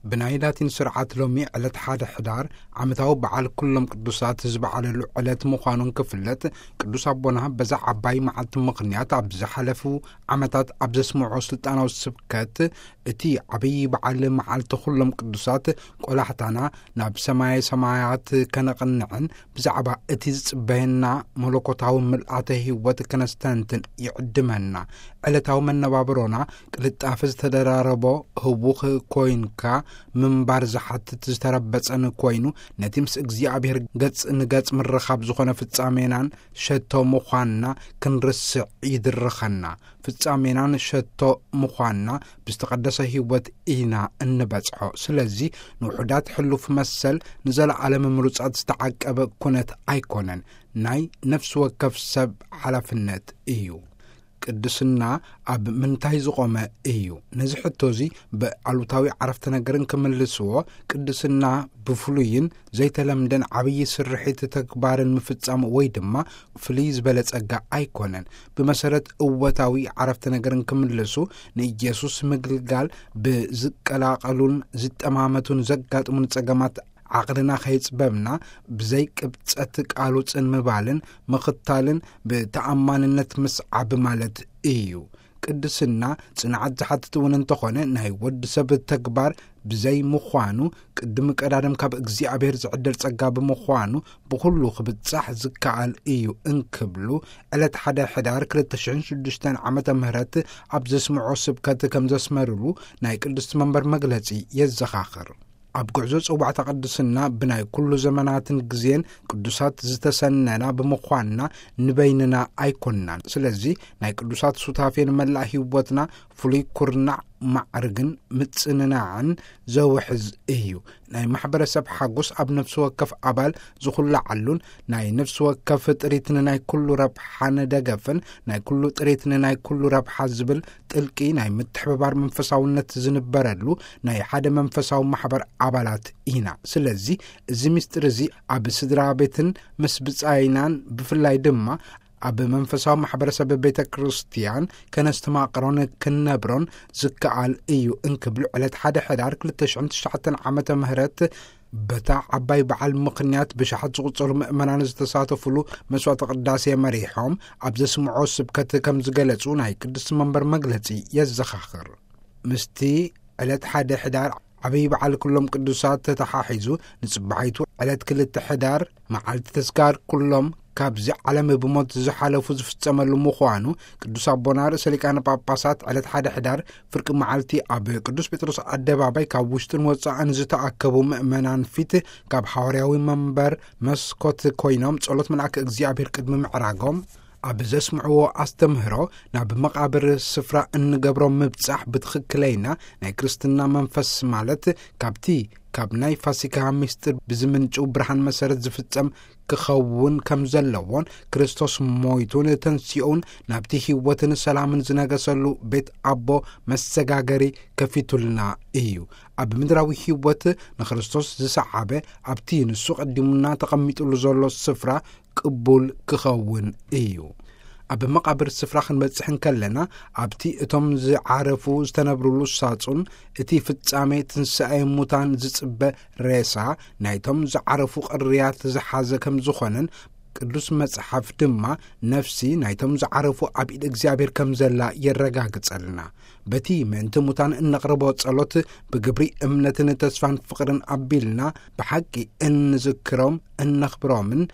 ብናይ ላቲን ስርዓት ሎሚ ዕለት ሓደ ሕዳር ዓመታዊ በዓል ኩሎም ቅዱሳት ዝበዓለሉ ዕለት ምዃኑን ክፍለጥ፣ ቅዱስ ኣቦና በዛ ዓባይ መዓልቲ ምኽንያት ኣብ ዝሓለፉ ዓመታት ኣብ ዘስምዖ ስልጣናዊ ስብከት፣ እቲ ዓብዪ በዓል መዓልቲ ኩሎም ቅዱሳት ቆላሕታና ናብ ሰማየ ሰማያት ከነቕንዕን ብዛዕባ እቲ ዝጽበየና መለኮታዊ ምልኣተ ህይወት ከነስተንትን ይዕድመና። ዕለታዊ መነባብሮና ቅልጣፈ ዝተደራረቦ ህውኽ ኮይንካ ምንባር ዝሓትት ዝተረበጸን ኮይኑ፣ ነቲ ምስ እግዚኣብሔር ገጽ ንገጽ ምርኻብ ዝኾነ ፍጻሜናን ሸቶ ምዃንና ክንርስዕ ይድርኸና። ፍጻሜናን ሸቶ ምዃንና ብዝተቐደሰ ህይወት ኢና እንበጽሖ። ስለዚ ንውሑዳት ሕሉፍ መሰል ንዘለዓለም ምሩጻት ዝተዓቀበ ኩነት ኣይኮነን። ናይ ነፍሲ ወከፍ ሰብ ሓላፍነት እዩ። ቅድስና ኣብ ምንታይ ዝቖመ እዩ? ነዚ ሕቶ እዚ ብኣሉታዊ ዓረፍተ ነገርን ክምልስዎ፣ ቅድስና ብፍሉይን ዘይተለምደን ዓብዪ ስርሒት ተግባርን ምፍጻም ወይ ድማ ፍልይ ዝበለ ጸጋ ኣይኮነን። ብመሰረት እወታዊ ዓረፍተ ነገርን ክምልሱ፣ ንኢየሱስ ምግልጋል ብዝቀላቐሉን ዝጠማመቱን ዘጋጥሙን ጸገማት ዓቕልና ከይጽበብና፣ ብዘይ ቅብጸት ቃሉ ጽን ምባልን ምኽታልን ብተኣማንነት ምስዓብ ማለት እዩ። ቅድስና ጽንዓት ዝሓትት እውን እንተኾነ፣ ናይ ወዲ ሰብ ተግባር ብዘይ ምዃኑ፣ ቅድሚ ቀዳድም ካብ እግዚኣብሔር ዝዕደል ጸጋ ብምዃኑ፣ ብኹሉ ክብጻሕ ዝከኣል እዩ እንክብሉ፣ ዕለት ሓደ ሕዳር ክልተ ሽሕን ሽዱሽተን ዓመተ ምህረት ኣብ ዘስምዖ ስብከት ከም ዘስመርሉ ናይ ቅድስቲ መንበር መግለጺ የዘኻኽር። ኣብ ጉዕዞ ጽዋዕታ ቅድስና ብናይ ኩሉ ዘመናትን ግዜን ቅዱሳት ዝተሰነና ብምዃንና ንበይንና ኣይኮንናን። ስለዚ ናይ ቅዱሳት ሱታፌ ንመላእ ህይወትና ፍሉይ ኩርናዕ ማዕርግን ምጽንናዕን ዘውሕዝ እዩ። ናይ ማሕበረሰብ ሓጎስ ኣብ ነፍሲ ወከፍ ኣባል ዝኹላዓሉን ናይ ነፍሲ ወከፍ ጥሪት ንናይ ኩሉ ረብሓን ደገፍን፣ ናይ ኩሉ ጥሪት ንናይ ኩሉ ረብሓ ዝብል ጥልቂ ናይ ምትሕብባር መንፈሳውነት ዝንበረሉ ናይ ሓደ መንፈሳዊ ማሕበር ኣባላት ኢና። ስለዚ እዚ ምስጢር እዚ ኣብ ስድራ ቤትን ምስ ብጻይናን ብፍላይ ድማ ኣብ መንፈሳዊ ማሕበረሰብ ቤተ ክርስቲያን ከነስተማቕሮን ክንነብሮን ዝከኣል እዩ እንክብሉ ዕለት ሓደ ሕዳር ክልተ ሽሕን ትሽዓተን ዓመተ ምህረት በታ ዓባይ በዓል ምኽንያት ብሽሓት ዝቑጸሩ ምእመናን ዝተሳተፉሉ መስዋዕተ ቅዳሴ መሪሖም ኣብ ዘስምዖ ስብከት ከም ዝገለጹ ናይ ቅድስቲ መንበር መግለጺ የዘኻኽር። ምስቲ ዕለት ሓደ ሕዳር ዓብይ በዓል ኩሎም ቅዱሳት ተተሓሒዙ፣ ንጽባሒቱ ዕለት ክልተ ሕዳር መዓልቲ ተስካር ኩሎም ካብዚ ዓለም ብሞት ዝሓለፉ ዝፍጸመሉ ምዃኑ፣ ቅዱስ ኣቦና ርእሰ ሊቃነ ጳጳሳት ዕለት ሓደ ሕዳር ፍርቂ መዓልቲ ኣብ ቅዱስ ጴጥሮስ ኣደባባይ ካብ ውሽጥን ወጻእን ዝተኣከቡ ምእመናን ፊት ካብ ሓዋርያዊ መንበር መስኮት ኮይኖም ጸሎት መልኣከ እግዚኣብሔር ቅድሚ ምዕራጎም፣ ኣብ ዘስምዕዎ ኣስተምህሮ፣ ናብ መቓብር ስፍራ እንገብሮ ምብጻሕ ብትኽክለይና ናይ ክርስትና መንፈስ፣ ማለት ካብቲ ካብ ናይ ፋሲካ ምስጢር ብዝምንጩ ብርሃን መሰረት ዝፍጸም ክኸውን ከም ዘለዎን፣ ክርስቶስ ሞይቱን ተንሲኡን ናብቲ ህይወትን ሰላምን ዝነገሰሉ ቤት ኣቦ መሰጋገሪ ከፊቱልና እዩ። ኣብ ምድራዊ ህይወት ንክርስቶስ ዝሰዓበ፣ ኣብቲ ንሱ ቀዲሙና ተቐሚጡሉ ዘሎ ስፍራ ቅቡል ክኸውን እዩ። ኣብ መቓብር ስፍራ ክንበጽሕ እንከለና፣ ኣብቲ እቶም ዝዓረፉ ዝተነብሩሉ ሳጹን፣ እቲ ፍጻሜ ትንሳኤ ሙታን ዝጽበ ሬሳ፣ ናይቶም ዝዓረፉ ቅርያት ዝሓዘ ከም ዝኾነን፣ ቅዱስ መጽሓፍ ድማ፣ ነፍሲ ናይቶም ዝዓረፉ ኣብ ኢድ እግዚኣብሔር ከም ዘላ የረጋግጸልና። በቲ ምእንቲ ሙታን እነቕርቦ ጸሎት፣ ብግብሪ እምነትን ተስፋን ፍቕርን ኣቢልና፣ ብሓቂ እንዝክሮም፣ እነኽብሮምን፣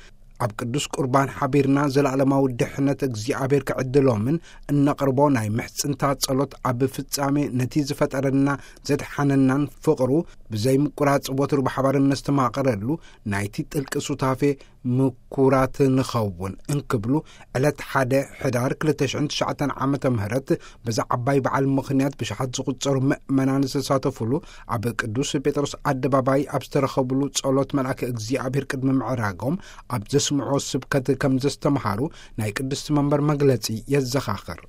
ኣብ ቅዱስ ቁርባን ሓቢርና ዘለዓለማዊ ድሕነት እግዚኣብሔር ክዕድሎምን እነቕርቦ ናይ ምሕጽንታ ጸሎት፣ ኣብ ፍጻሜ ነቲ ዝፈጠረና ዘድሓነናን ፍቕሩ ብዘይ ምቁራጽ ወትሩ ብሓባር እነስተማቕረሉ ናይቲ ጥልቂ ሱታፌ ምኩራት ንኸውን እንክብሉ፣ ዕለት ሓደ ሕዳር ክልተ ሽሕን ትሽዓተን ዓመተ ምህረት በዛ ዓባይ በዓል ምኽንያት ብሽሓት ዝቑጸሩ ምእመናን ዝተሳተፉሉ ኣብ ቅዱስ ጴጥሮስ ኣደባባይ ኣብ ዝተረኸቡሉ ጸሎት መልኣከ እግዚኣብሔር ቅድሚ ምዕራጎም ኣብ ዘስምዖ ስብከት ከም ዘስተምሃሩ ናይ ቅድስቲ መንበር መግለጺ የዘኻኽር።